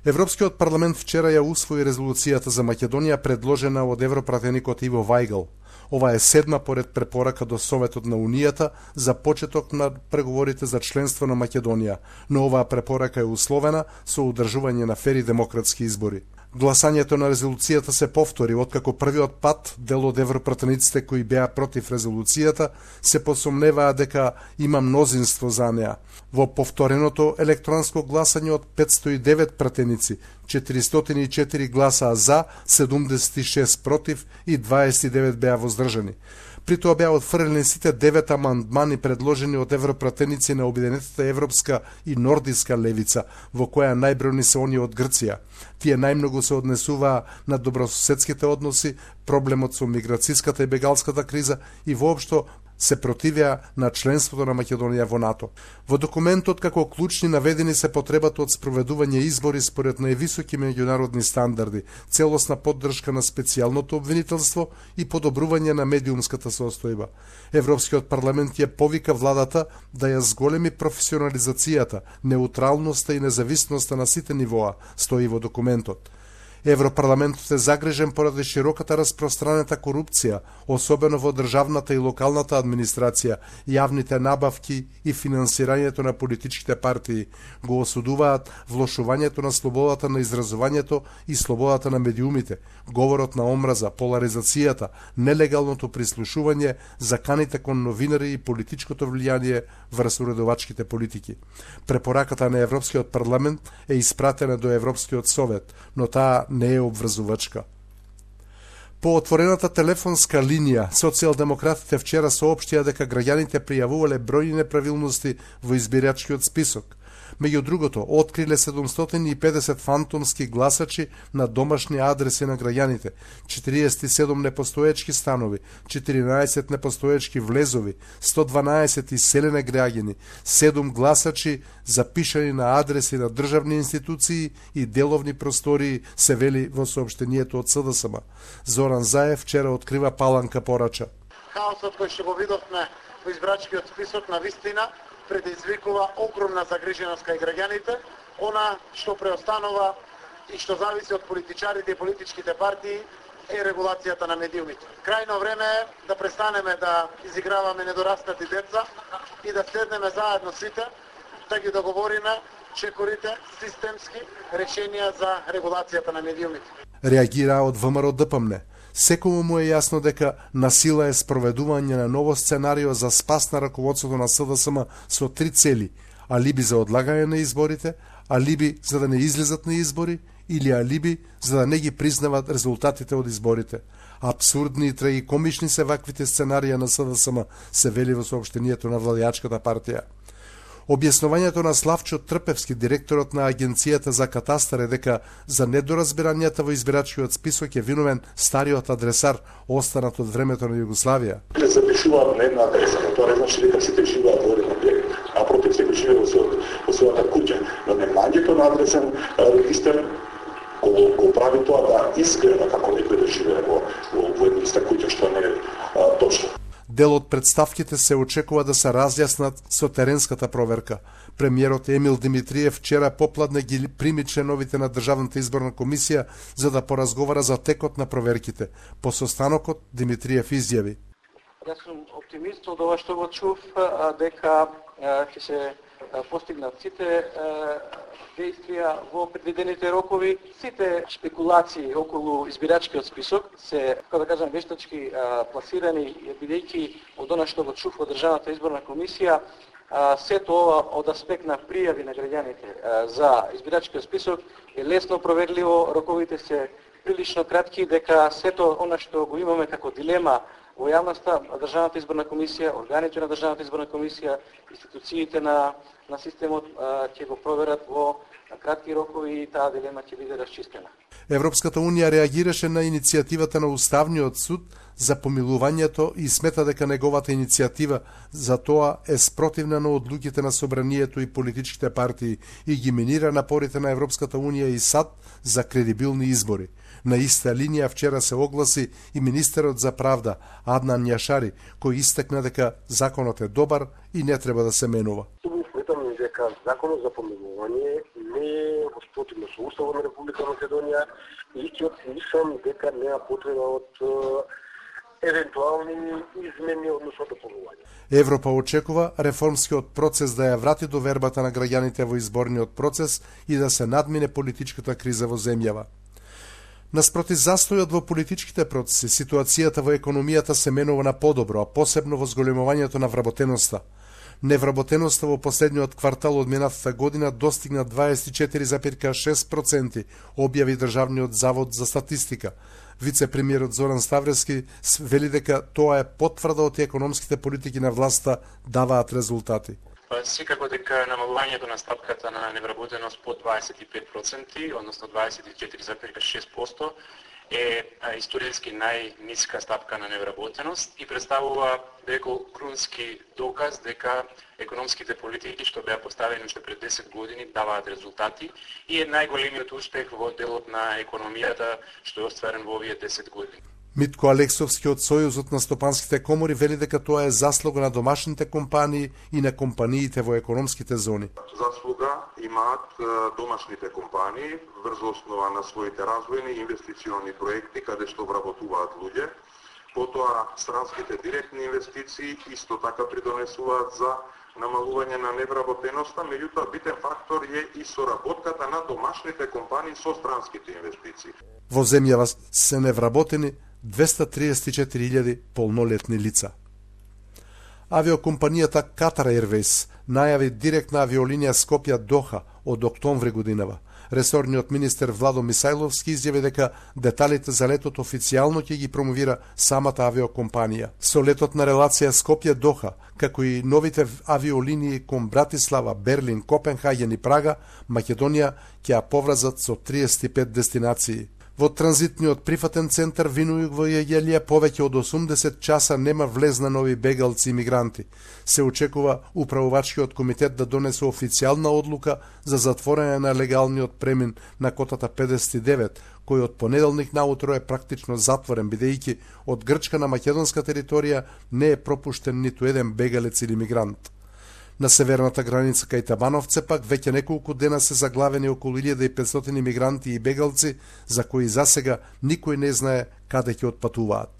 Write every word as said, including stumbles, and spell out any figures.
Европскиот парламент вчера ја усвои резолуцијата за Македонија предложена од европратеникот Иво Вајгл. Ова е седма поред препорака до Советот на Унијата за почеток на преговорите за членство на Македонија, но оваа препорака е условена со одржување на фери демократски избори. Гласањето на резолуцијата се повтори откако првиот пат дел од европратениците кои беа против резолуцијата се посомневаа дека има мнозинство за неа. Во повтореното електронско гласање од петстотини и девет пратеници, четиристотини и четири гласаа за, седумдесет и шест против и дваесет и девет беа воздржани. При тоа беа отфрлени сите девет амандмани предложени од европратеници на Обединетата европска и нордиска левица, во која најбројни се они од Грција. Тие најмногу се однесуваа на добрососедските односи, проблемот со миграцијската и бегалската криза и воопшто се противеа на членството на Македонија во НАТО. Во документот како клучни наведени се потребата од спроведување избори според највисоки меѓународни стандарди, целосна поддршка на специјалното обвинителство и подобрување на медиумската состојба. Европскиот парламент ја повика владата да ја зголеми професионализацијата, неутралноста и независноста на сите нивоа, стои во документот. Европарламентот е загрижен поради широката распространета корупција, особено во државната и локалната администрација, јавните набавки и финансирањето на политичките партии. Го осудуваат влошувањето на слободата на изразувањето и слободата на медиумите, говорот на омраза, поларизацијата, нелегалното прислушување, заканите кон новинари и политичкото влијание врз уредовачките политики. Препораката на Европскиот парламент е испратена до Европскиот совет, но таа не е обврзувачка. По отворената телефонска линија, социјалдемократите вчера соопштија дека граѓаните пријавувале бројни неправилности во избирачкиот список. Меѓу другото, откриле седумстотини и педесет фантомски гласачи на домашни адреси на граѓаните, четириесет и седум непостоечки станови, четиринаесет непостоечки влезови, сто дванаесет иселене граѓани, седум гласачи запишани на адреси на државни институции и деловни простории, се вели во соопштението од СДСМ. Зоран Заев вчера открива паланка порача. Хаосот кој што го видовме во избирачкиот список на вистина предизвикува огромна загриженост кај граѓаните, она што преостанува и што зависи од политичарите и политичките партии е регулацијата на медиумите. Крајно време е да престанеме да изиграваме недораснати деца и да седнеме заедно сите, да ги договориме чекорите системски решенија за регулацијата на медиумите. Реагира од ВМРО ДПМН. Секому му е јасно дека насила е спроведување на ново сценарио за спас на раководството на СДСМ со три цели: алиби за одлагање на изборите, алиби за да не излезат на избори или алиби за да не ги признават резултатите од изборите. Абсурдни и трагикомични се ваквите сценарија на СДСМ, се вели во соопштението на владеачката партија. Објаснувањето на Славчо Трпевски, директорот на Агенцијата за катастар, е дека за недоразбирањата во избирачкиот список е виновен стариот адресар, останат од времето на Југославија. Запишуваат на една адреса, но тоа не значи дека сите живеат во еден објект, а против секој живее во својата куќа. Но немањето на адресен регистар го, го прави тоа да изгледа како некој да живее во, во, во една иста куќа, што не е а, точно. Дел од представките се очекува да се разјаснат со теренската проверка. Премиерот Емил Димитриев вчера попладне ги прими членовите на Државната изборна комисија за да поразговара за текот на проверките. По состанокот Димитриев изјави: Јас сум оптимист од ова што го чув, дека ќе се постигнат сите действија во предвидените рокови. Сите спекулации околу избирачкиот список се, како да кажам, вештачки пласирани, бидејќи од она што го чув од Државната изборна комисија, сето ова од аспект на пријави на граѓаните за избирачкиот список е лесно проверливо, роковите се прилично кратки, дека сето она што го имаме како дилема во јавноста, Државната изборна комисија, органите на Државната изборна комисија, институциите на, на системот ќе го проверат во кратки рокови и таа дилема ќе биде расчистена. Европската унија реагираше на иницијативата на Уставниот суд за помилувањето и смета дека неговата иницијатива за тоа е спротивна на одлуките на собранието и политичките партии и ги минира напорите на Европската унија и САД за кредибилни избори. На иста линија вчера се огласи и министерот за правда Аднан Јашари, кој истакна дека законот е добар и не треба да се менува. Субјективно дека законот за помилување не е во спротивно со Уставот на Република Македонија и ќе мислам дека нема потреба од евентуални измени односно дополнување. Европа очекува реформскиот процес да ја врати довербата на граѓаните во изборниот процес и да се надмине политичката криза во земјава. Наспроти застојот во политичките процеси, ситуацијата во економијата се менува на подобро, а посебно во зголемувањето на вработеноста. Невработеноста во последниот квартал од минатата година достигна дваесет и четири зарез шест проценти, објави Државниот завод за статистика. Вице-премиерот Зоран Ставрески вели дека тоа е потврда од економските политики на власта даваат резултати. Секако дека намалувањето на стапката на невработеност под дваесет и пет проценти, односно дваесет и четири зарез шест проценти, е историски најниска стапка на невработеност и представува деко крунски доказ дека економските политики што беа поставени уште пред десет години даваат резултати и е најголемиот успех во делот на економијата што е остварен во овие десет години. Митко Алексовски од Сојузот на стопанските комори вели дека тоа е заслуга на домашните компании и на компаниите во економските зони. Заслуга имаат домашните компании врз основа на своите развојни и инвестициони проекти каде што вработуваат луѓе. Потоа странските директни инвестиции исто така придонесуваат за намалување на невработеноста, меѓутоа битен фактор е и соработката на домашните компании со странските инвестиции. Во земјава се невработени двеста триесет и четири илјади полнолетни лица. Авиокомпанијата Qatar Airways најави директна авиолинија Скопје-Доха од октомври годинава. Ресорниот министер Владо Мисајловски изјави дека деталите за летот официјално ќе ги промовира самата авиокомпанија. Со летот на релација Скопје-Доха, како и новите авиолинии кон Братислава, Берлин, Копенхаген и Прага, Македонија ќе ја поврзат со триесет и пет дестинации. Во транзитниот прифатен центар Винујук во Јеѓелија повеќе од осумдесет часа нема влез на нови бегалци и мигранти. Се очекува управувачкиот комитет да донесе официјална одлука за затворање на легалниот премин на котата педесет и девет, кој од понеделник наутро е практично затворен, бидејќи од Грчка на македонска територија не е пропуштен ниту еден бегалец или мигрант. На северната граница кај Табановце пак веќе неколку дена се заглавени околу илјада и петстотини мигранти и бегалци, за кои засега никој не знае каде ќе отпатуваат.